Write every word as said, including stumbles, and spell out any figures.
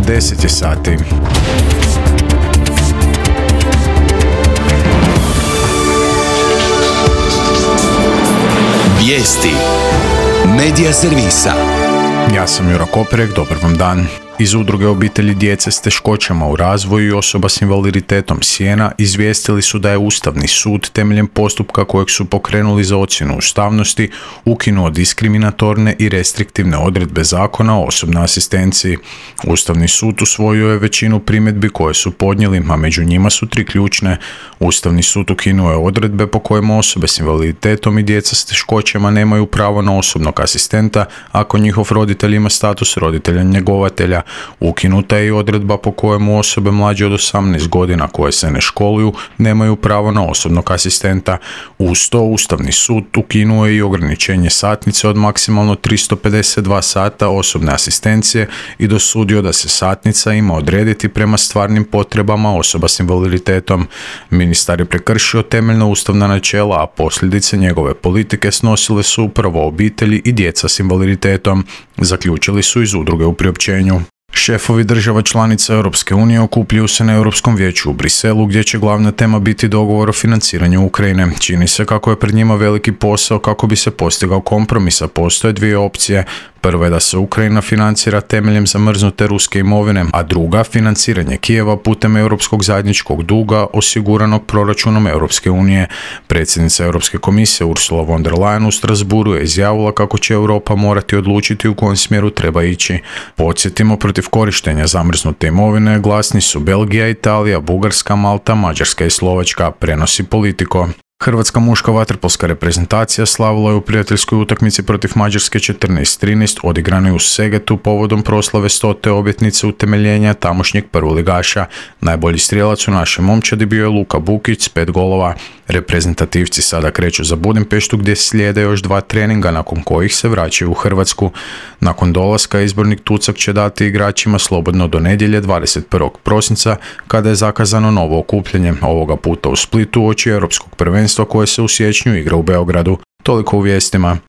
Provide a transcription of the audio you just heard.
deset je sati. Vijesti Medija servisa. Ja sam Jura Koperek, dobar vam dan. Iz Udruge obitelji djece s teškoćama u razvoju i osoba s invaliditetom Sjena izvijestili su da je Ustavni sud temeljem postupka kojeg su pokrenuli za ocjenu ustavnosti ukinuo diskriminatorne i restriktivne odredbe zakona o osobnoj asistenciji. Ustavni sud usvojio je većinu primjedbi koje su podnijeli, a među njima su tri ključne. Ustavni sud ukinuo je odredbe po kojima osobe s invaliditetom i djeca s teškoćama nemaju pravo na osobnog asistenta ako njihov roditelj ima status roditelja njegovatelja. Ukinuta je i odredba po kojemu osobe mlađe od osamnaest godina koje se ne školuju nemaju pravo na osobnog asistenta. Uz to Ustavni sud ukinuo je i ograničenje satnice od maksimalno tristo pedeset dva sata osobne asistencije i dosudio da se satnica ima odrediti prema stvarnim potrebama osoba s invaliditetom. Ministar je prekršio temeljna ustavna načela, a posljedice njegove politike snosile su upravo obitelji i djeca s invaliditetom, zaključili su iz udruge u priopćenju. Šefovi država članica Europske unije okupljaju se na Europskom vijeću u Briselu, gdje će glavna tema biti dogovor o financiranju Ukrajine. Čini se kako je pred njima veliki posao kako bi se postigao kompromis, a postoje dvije opcije. Prva je da se Ukrajina financira temeljem zamrznute ruske imovine, a druga financiranje Kijeva putem europskog zajedničkog duga osiguranog proračunom Europske unije. Predsjednica Europske komisije Ursula von der Leyen u Strasbourgu je izjavila kako će Europa morati odlučiti u kojem smjeru treba ići. Podsjetimo, protiv korištenja zamrznute imovine glasni su Belgija, Italija, Bugarska, Malta, Mađarska i Slovačka, prenosi Politico. Hrvatska muška vaterpolska reprezentacija slavila je u prijateljskoj utakmici protiv Mađarske četrnaest trinaest odigranoj u Segetu povodom proslave stote obljetnice utemeljenja tamošnjeg prvoligaša. Najbolji strijelac u našoj momčadi bio je Luka Bukić s pet golova. Reprezentativci sada kreću za Budimpeštu gdje slijede još dva treninga nakon kojih se vraćaju u Hrvatsku. Nakon dolaska izbornik Tucak će dati igračima slobodno do nedjelje dvadeset prvog prosinca kada je zakazano novo okupljanje, ovoga puta u Splitu uoči europskog prvenstva koje se u siječnju igra u Beogradu. Toliko u vijestima.